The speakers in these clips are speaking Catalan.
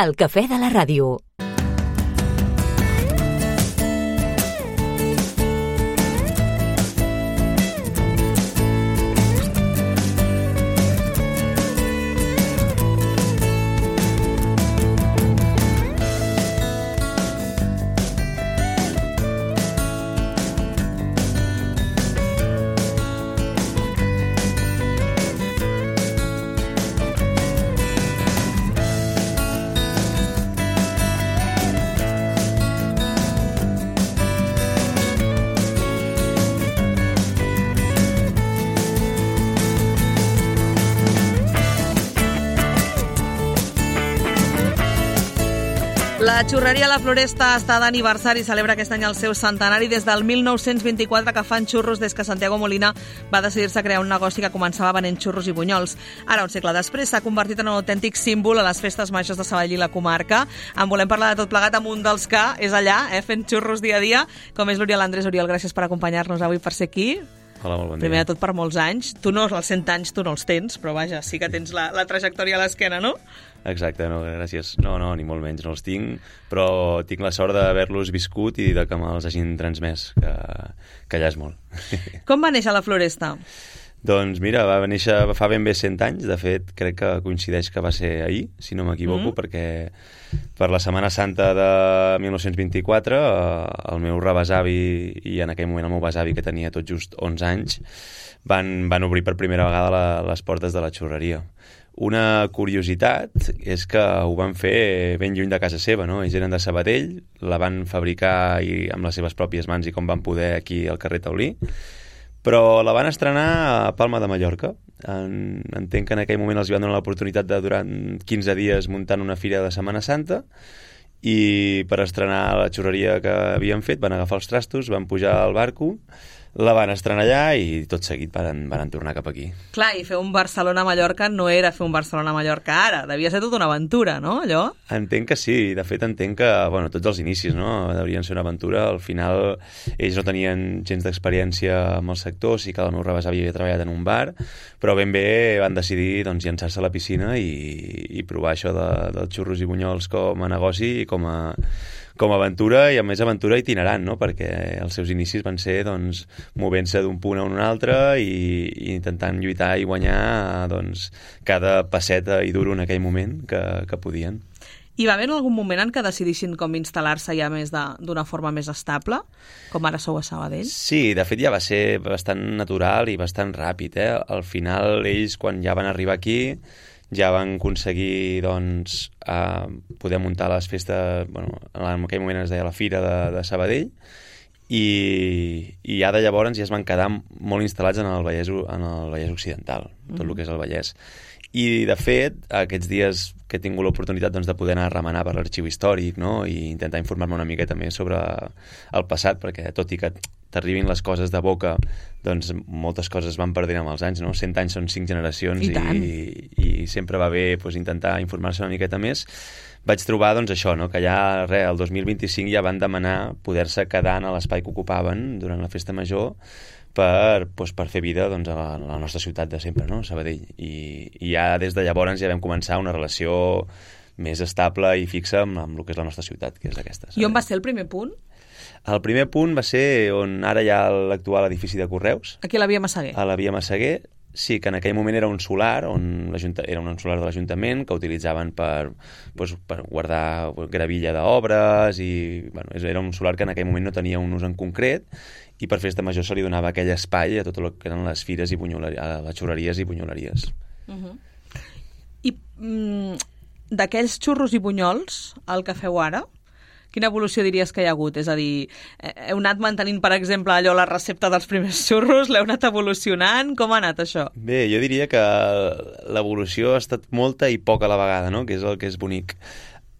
El cafè de la ràdio. La xurreria La Floresta està d'aniversari i celebra aquest any el seu centenari. Des del 1924 que fan xurros, des que Santiago Molina va decidir-se a crear un negoci que començava venent xurros i bunyols. Ara, un segle després, s'ha convertit en un autèntic símbol a les festes majors de Sabadell i la comarca. En volem parlar de tot plegat amb un dels que és allà, fent xurros dia a dia, com és l'Oriol Andrés. Oriol, gràcies per acompanyar-nos avui, per ser aquí. Hola, molt bon dia. Primer de tot, per molts anys. Tu no, els 100 anys tu no els tens, però vaja, sí que tens la trajectòria a l'esquena, no? Exacte, no, gràcies. No, ni molt menys, no els tinc, però tinc la sort d'haver-los viscut i de que me'ls hagin transmès, que ja és molt. Com va néixer La Floresta? Doncs mira, va néixer fa ben bé 100 anys, de fet crec que coincideix que va ser ahir, si no m'equivoco, perquè per la Setmana Santa de 1924 el meu rebesavi i en aquell moment el meu besavi, que tenia tot just 11 anys, van obrir per primera vegada les portes de la xurreria. Una curiositat és que ho van fer ben lluny de casa seva, no? Ells eren de Sabadell, la van fabricar amb les seves pròpies mans i com van poder aquí al carrer Taulí, però la van estrenar a Palma de Mallorca. Entenc que en aquell moment els van donar l'oportunitat de durant 15 dies muntant una fira de Setmana Santa, i per estrenar la xurreria que havien fet van agafar els trastos, van pujar al barco, la van estrenar allà i tot seguit van tornar cap aquí. Clar, i fer un Barcelona-Mallorca no era fer un Barcelona-Mallorca ara, devia ser tota una aventura, no, allò? Entenc que sí, de fet entenc que, tots els inicis, no?, deurien ser una aventura. Al final ells no tenien gens d'experiència amb el sector, sí que el meu rebesavi havia treballat en un bar, però ben bé van decidir llançar-se a la piscina i provar això dels xurros i bunyols com a negoci i com a aventura, i a més aventura itinerant, no?, perquè els seus inicis van ser movent-se d'un punt a un altre i intentant lluitar i guanyar cada pesseta i duro en aquell moment que podien. Hi va haver algun moment en què decidissin com instal·lar-se ja més d'una forma més estable, com ara sou a Sabadell? Sí, de fet ja va ser bastant natural i bastant ràpid, Al final ells, quan ja van arribar aquí, ja van aconseguir poder muntar les festes, en aquell moment es deia la Fira de Sabadell, i ja de llavors ja es van quedar molt instal·lats en el Vallès Occidental, tot el que és el Vallès. I de fet, aquests dies que he tingut l'oportunitat de poder anar a remenar per l'arxiu històric, no?, i intentar informar-me una miqueta més sobre el passat, perquè tot i que t'arribin les coses de boca, moltes coses van perdent amb els anys, no? 100 anys són 5 generacions i sempre va bé intentar informar-se una miqueta més. Vaig trobar això, no?, que ja el 2025 ja van demanar poder-se quedar en l'espai que ocupaven durant la festa major per fer vida a la nostra ciutat de sempre, no?, Sabadell. I ja des de llavors ja vam començar una relació més estable i fixa amb el que és la nostra ciutat, que és aquesta. I on va ser el primer punt? El primer punt va ser on ara hi ha l'actual edifici de Correus. Aquí a la Via Massaguer. A la Via Massaguer, sí, que en aquell moment era un solar, era un solar de l'Ajuntament que utilitzaven per guardar gravilla d'obres i era un solar que en aquell moment no tenia un ús en concret, i per festa major se li donava aquell espai a tot el que eren les fires i les xurreries i bunyoleries. I d'aquells xurros i bunyols, el que feu ara, quina evolució diries que hi ha hagut? És a dir, heu anat mantenint, per exemple, la recepta dels primers xurros? L'heu anat evolucionant? Com ha anat això? Bé, jo diria que l'evolució ha estat molta i poca a la vegada, no?, que és el que és bonic.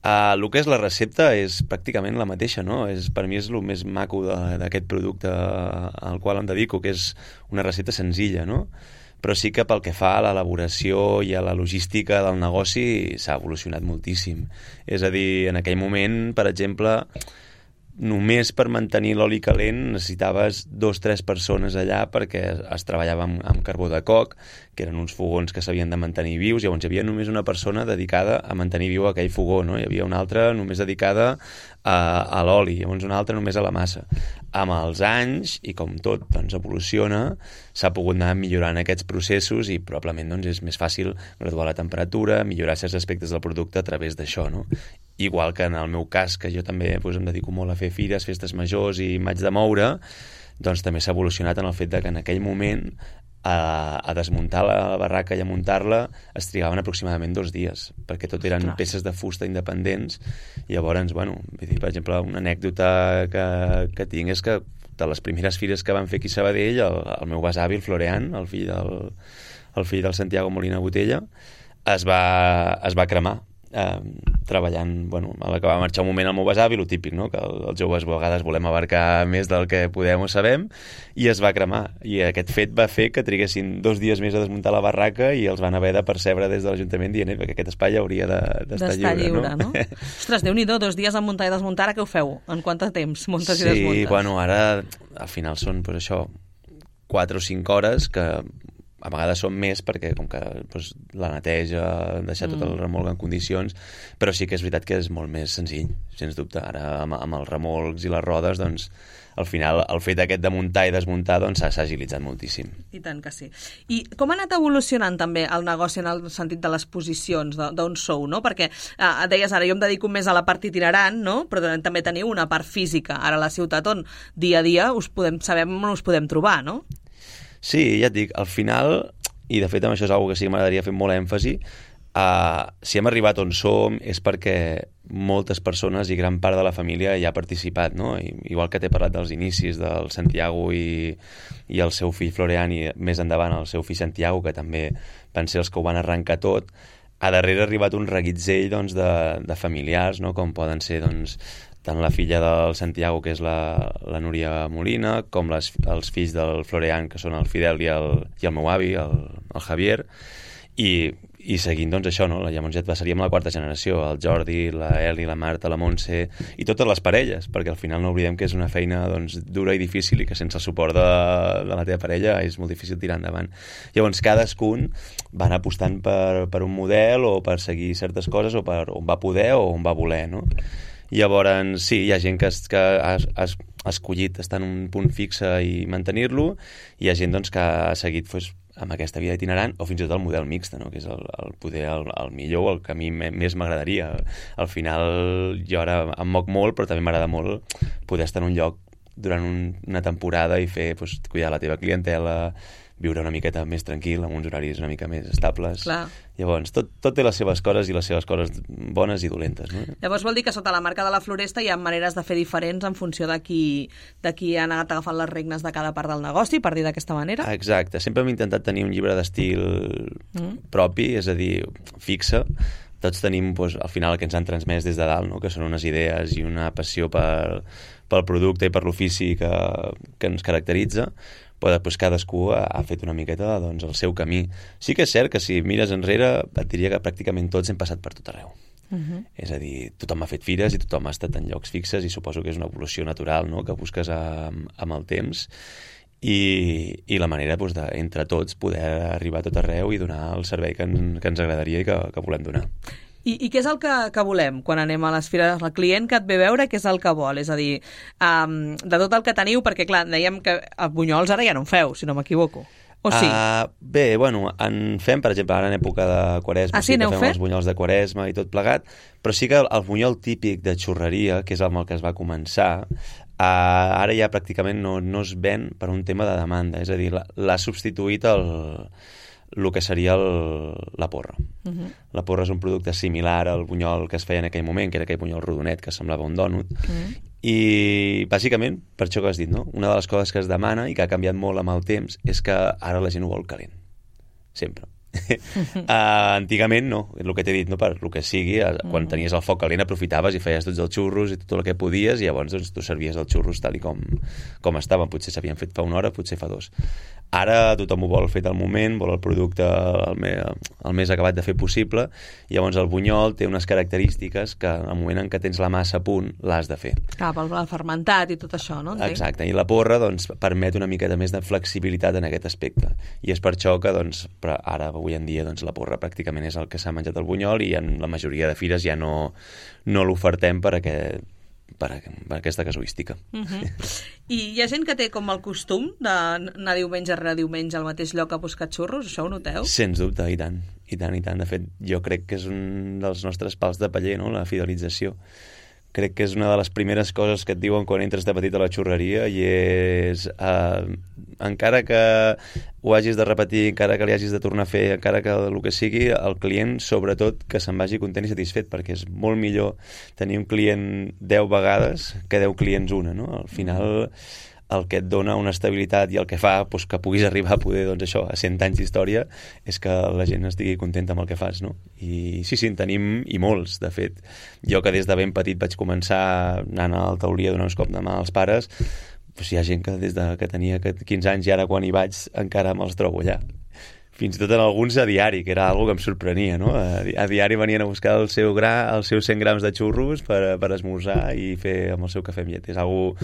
El que és la recepta és pràcticament la mateixa, no? Per mi és el més maco d'aquest producte al qual em dedico, que és una recepta senzilla, no? Però sí que pel que fa a l'elaboració i a la logística del negoci s'ha evolucionat moltíssim. És a dir, en aquell moment, per exemple, només per mantenir l'oli calent necessitaves 2-3 persones allà perquè es treballava amb carbó de coc, que eren uns fogons que s'havien de mantenir vius. Llavors hi havia només una persona dedicada a mantenir viu aquell fogó, no? Hi havia una altra només dedicada a l'oli, llavors una altra només a la massa. Amb els anys, i com tot doncs, evoluciona, s'ha pogut anar millorant aquests processos i probablement doncs, és més fàcil graduar la temperatura, millorar certs aspectes del producte a través d'això, no? Igual que en el meu cas, que jo també doncs, em dedico molt a fer fires, festes majors i m'haig de moure, doncs també s'ha evolucionat en el fet que en aquell moment a desmuntar la barraca i a muntar-la es trigaven aproximadament 2 dies, perquè tot eren peces de fusta independents. I llavors, bueno, per exemple, una anècdota que tinc és que de les primeres fires que van fer aquí a Sabadell, el meu besavi, el Florean, el fill del Santiago Molina Botella, es va cremar treballant, bueno, a la que va marxar un moment el meu besavi, el típic, no? Que els joves a vegades volem abarcar més del que podem o sabem, i es va cremar, i aquest fet va fer que triguessin 2 dies més a desmuntar la barraca i els van haver de percebre des de l'Ajuntament dient que aquest espai hauria d'estar lliure, no? Ostres, Déu-n'hi-do, 2 dies a muntar i desmuntar, ara què ho feu? En quant de temps muntes i desmuntes? Sí, bueno, ara al final són, pues, això, 4 o 5 hores que a vegades són més perquè com que doncs, la neteja, deixar tot el remolc en condicions, però sí que és veritat que és molt més senzill, sens dubte. Ara amb els remolcs i les rodes, doncs, al final el fet aquest de muntar i desmuntar doncs, s'ha agilitzat moltíssim. I tant que sí. I com ha anat evolucionant també el negoci en el sentit de les posicions d'on sou, no? Perquè deies ara, jo em dedico més a la part itinerant, no? Però també teniu una part física ara a la ciutat on dia a dia sabem on us podem trobar, no? Sí, ja et dic, al final, i de fet amb això és una cosa que sí que m'agradaria fer molt èmfasi, si hem arribat on som és perquè moltes persones i gran part de la família hi ha participat, no? Igual que t'he parlat dels inicis del Santiago i el seu fill Florean i més endavant el seu fill Santiago, que també van ser els que ho van arrencar tot, a darrere ha arribat un reguitzell doncs, de familiars, no? Com poden ser doncs, tant la filla del Santiago, que és la Núria Molina, com els fills del Florean, que són el Fidel i el meu avi, el Javier, i seguint doncs això, no? Llavors ja seríem la 4a generació, el Jordi, la Eli, la Marta, la Montse i totes les parelles, perquè al final no oblidem que és una feina doncs, dura i difícil i que sense el suport de la teva parella és molt difícil tirar endavant. Llavors cadascun van apostant per un model o per seguir certes coses o per on va poder o on va voler, no? Llavors, sí, hi ha gent que ha escollit estar en un punt fixe i mantenir-lo, i hi ha gent doncs, que ha seguit doncs, amb aquesta vida itinerant o fins i tot el model mixta, no? Que és el millor, el que a mi més m'agradaria. Al final jo ara em moc molt, però també m'agrada molt poder estar en un lloc durant una temporada i fer, doncs, cuidar la teva clientela, viure una miqueta més tranquil, amb uns horaris una mica més estables. Clar. Llavors, tot té les seves coses i les seves coses bones i dolentes, no? Llavors vol dir que sota la marca de la Floresta hi ha maneres de fer diferents en funció de qui ha anat agafant les regnes de cada part del negoci, per dir d'aquesta manera? Exacte. Sempre hem intentat tenir un llibre d'estil propi, és a dir, fixe. Tots tenim, doncs, al final, el que ens han transmès des de dalt, no? Que són unes idees i una passió pel producte i per l'ofici que ens caracteritza, però després cadascú ha fet una miqueta doncs, el seu camí. Sí que és cert que si mires enrere et diria que pràcticament tots hem passat per tot arreu. És a dir, tothom ha fet fires i tothom ha estat en llocs fixes i suposo que és una evolució natural, no? Que busques amb el temps i la manera doncs, entre tots poder arribar a tot arreu i donar el servei que ens agradaria i que volem donar. I què és el que volem quan anem a les fires? El client que et ve veure, què és el que vol? És a dir, de tot el que teniu, perquè clar, dèiem que a Bunyols ara ja no en feu, si no m'equivoco. O sí? Bé, bueno, en fem, per exemple, ara en època de Quaresma, sí que fem els bunyols de Quaresma i tot plegat, però sí que el bunyol típic de xurreria, que és amb el que es va començar, ara ja pràcticament no es ven per un tema de demanda, és a dir, l'ha substituït el que seria la porra. La porra és un producte similar al bunyol que es feia en aquell moment, que era aquell bunyol rodonet que semblava un dònut, i bàsicament, per això que has dit, no? Una de les coses que es demana i que ha canviat molt amb el temps és que ara la gent ho vol calent, sempre. Antigament no, el que t'he dit, no, per el que sigui, quan tenies el foc calent aprofitaves i feies tots els xurros i tot el que podies, i llavors doncs, tu servies els xurros tal i com estaven. Potser s'havien fet fa una hora, potser fa 2. Ara tothom ho vol fet al moment, vol el producte el més acabat de fer possible, i llavors el bunyol té unes característiques que al moment en què tens la massa a punt l'has de fer. Clar, pel fermentat i tot això, no? Entenc. Exacte, i la porra doncs, permet una miqueta més de flexibilitat en aquest aspecte, i és per això que doncs, ara, avui en dia, doncs, la porra pràcticament és el que s'ha menjat el bunyol, i en la majoria de fires ja no l'ofertem per aquesta casuística. I hi ha gent que té com el costum d'anar diumenge rere diumenge al mateix lloc a buscar xurros? Això ho noteu? Sens dubte, i tant. De fet, jo crec que és un dels nostres pals de paller, no?, la fidelització. Crec que és una de les primeres coses que et diuen quan entres de petit a la xurreria, i és encara que ho hagis de repetir, encara que li hagis de tornar a fer, encara que el que sigui, el client, sobretot, que se'n vagi content i satisfet, perquè és molt millor tenir un client 10 vegades que 10 clients una, no? Al final, el que et dona una estabilitat i el que fa doncs, que puguis arribar a poder, doncs això, a 100 anys d'història, és que la gent estigui contenta amb el que fas, no? I sí, en tenim, i molts, de fet. Jo que des de ben petit vaig començar anant a la taulia donant uns cop de mà als pares, doncs hi ha gent que des de que tenia 15 anys i ara quan hi vaig encara me'ls trobo allà. Fins i tot en alguns a diari, que era una cosa que em sorprenia, no? A diari venien a buscar els seus 100 grams de xurros per esmorzar i fer amb el seu cafè amb llet. És algo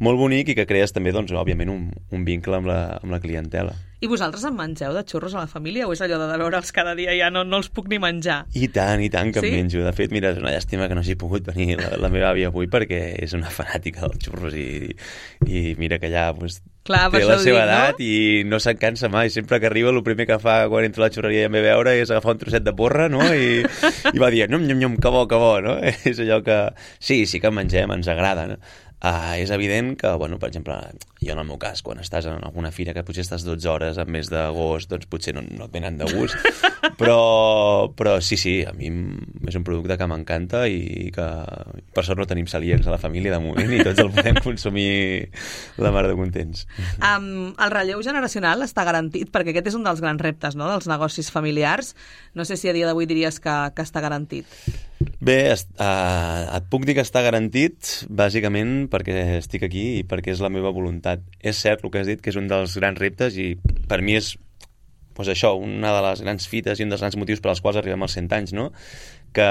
molt bonic i que crees també, doncs, òbviament, un vincle amb la clientela. I vosaltres en mengeu de xurros a la família o és allò de veure'ls cada dia ja no els puc ni menjar? I tant que sí? em menjo. De fet, mira, és una llàstima que no hagi pogut venir la meva àvia avui perquè és una fanàtica dels xurros i mira que ja doncs, clar, té la seva edat, no? I no se'n cansa mai. Sempre que arriba el primer que fa quan entra a la xurreria i em ve a veure és agafar un trosset de porra, no? I va dir, nyom, que bo, no? És allò que sí que mengem, ens agrada, no? És evident que, bueno, per exemple, jo en el meu cas, quan estàs en alguna fira que potser estàs 12 hores al mes d'agost, doncs potser no et venen de gust, però sí, a mi és un producte que m'encanta i que per sort no tenim celíacs a la família de moment i tots el podem consumir la mar de contents. El relleu generacional està garantit, perquè aquest és un dels grans reptes, no?, dels negocis familiars. No sé si a dia d'avui diries que està garantit. Bé, et puc dir que està garantit bàsicament perquè estic aquí i perquè és la meva voluntat. És cert el que has dit, que és un dels grans reptes i per mi és doncs això, una de les grans fites i un dels grans motius per als quals arribem als 100 anys, no? Que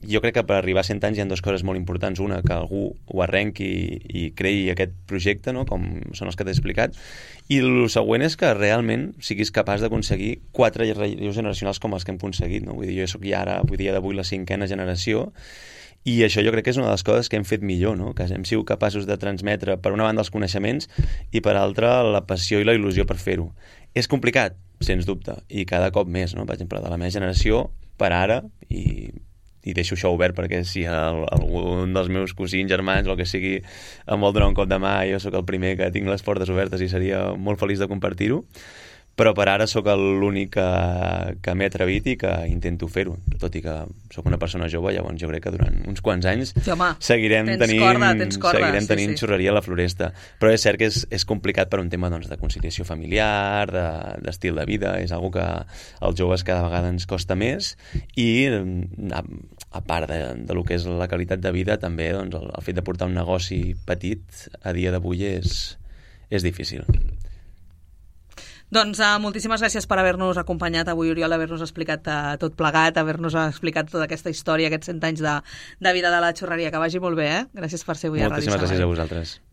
jo crec que per arribar a 100 anys hi ha dues coses molt importants. Una, que algú ho arrenqui i creï aquest projecte, no?, com són els que t'he explicat. I el següent és que realment siguis capaç d'aconseguir 4 relleus generacionals com els que hem aconseguit, no? Vull dir, jo soc ja ara, avui dia d'avui, la 5a generació, i això jo crec que és una de les coses que hem fet millor, no? Que hem sigut capaços de transmetre, per una banda, els coneixements i, per altra, la passió i la il·lusió per fer-ho. És complicat, sens dubte, i cada cop més, no? Per exemple, de la meva generació, per ara, i deixo això obert perquè si algun dels meus cosins, germans o el que sigui em vol donar un cop de mà, jo sóc el primer que tinc les portes obertes i seria molt feliç de compartir-ho, però per ara sóc l'únic que m'he atrevit i que intento fer-ho, tot i que sóc una persona jove. Llavors jo crec que durant uns quants anys seguirem tenint xurreria a la Floresta, però és cert que és complicat per un tema, doncs, de conciliació familiar, d'estil de vida. És una que als joves cada vegada ens costa més i a part de lo que és la qualitat de vida, també doncs, el fet de portar un negoci petit a dia d'avui és difícil. Doncs moltíssimes gràcies per haver-nos acompanyat avui, Oriol, haver-nos explicat tot plegat, haver-nos explicat tota aquesta història, aquests 100 anys de vida de la xurreria. Que vagi molt bé, eh? Gràcies per ser avui a Ràdio Sabadell. Moltíssimes gràcies a vosaltres.